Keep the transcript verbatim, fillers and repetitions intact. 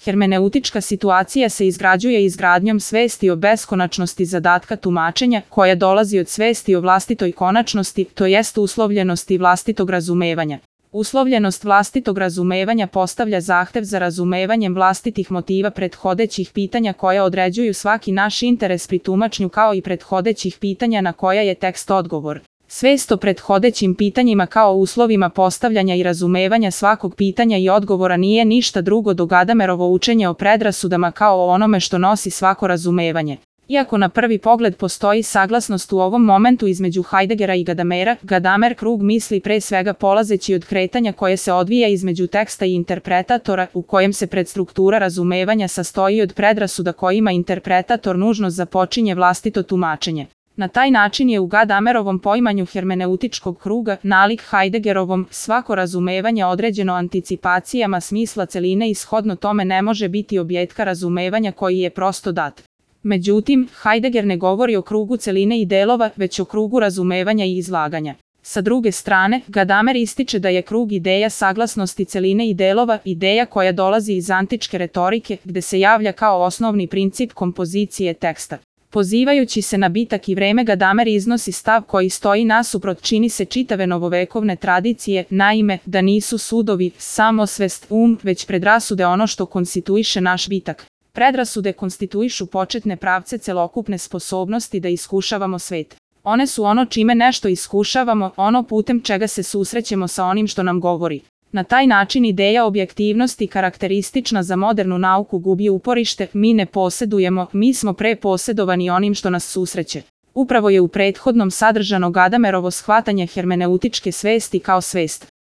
Hermeneutička situacija se izgrađuje izgradnjom svesti o beskonačnosti zadatka tumačenja, koja dolazi od svesti o vlastitoj konačnosti, to jest uslovljenosti vlastitog razumevanja. Uslovljenost vlastitog razumevanja postavlja zahtev za razumevanjem vlastitih motiva prethodećih pitanja koja određuju svaki naš interes pri tumačnju kao i prethodećih pitanja na koja je tekst odgovor. Svest o prethodećim pitanjima kao uslovima postavljanja i razumevanja svakog pitanja i odgovora nije ništa drugo do Gadamerovo učenje o predrasudama kao o onome što nosi svako razumevanje. Iako na prvi pogled postoji saglasnost u ovom momentu između Heideggera i Gadamera, Gadamer krug misli pre svega polazeći od kretanja koje se odvija između teksta i interpretatora, u kojem se predstruktura razumevanja sastoji od predrasuda kojima interpretator nužno započinje vlastito tumačenje. Na taj način je u Gadamerovom poimanju hermeneutičkog kruga, nalik Heideggerovom, svako razumevanje određeno anticipacijama smisla celine i shodno tome ne može biti objetka razumevanja koji je prosto dat. Međutim, Heidegger ne govori o krugu celine i delova, već o krugu razumevanja i izlaganja. Sa druge strane, Gadamer ističe da je krug ideja saglasnosti celine i delova ideja koja dolazi iz antičke retorike, gde se javlja kao osnovni princip kompozicije teksta. Pozivajući se na bitak i vreme, Gadamer iznosi stav koji stoji nasuprot čini se čitave novovekovne tradicije, naime, da nisu sudovi, samosvest, um, već predrasude ono što konstituiše naš bitak. Predrasude konstituišu početne pravce celokupne sposobnosti da iskušavamo svet. One su ono čime nešto iskušavamo, ono putem čega se susrećemo sa onim što nam govori. Na taj način ideja objektivnosti karakteristična za modernu nauku gubi uporište, mi ne posedujemo, mi smo preposedovani onim što nas susreće. Upravo je u prethodnom sadržano Gadamerovo shvatanje hermeneutičke svesti kao svest.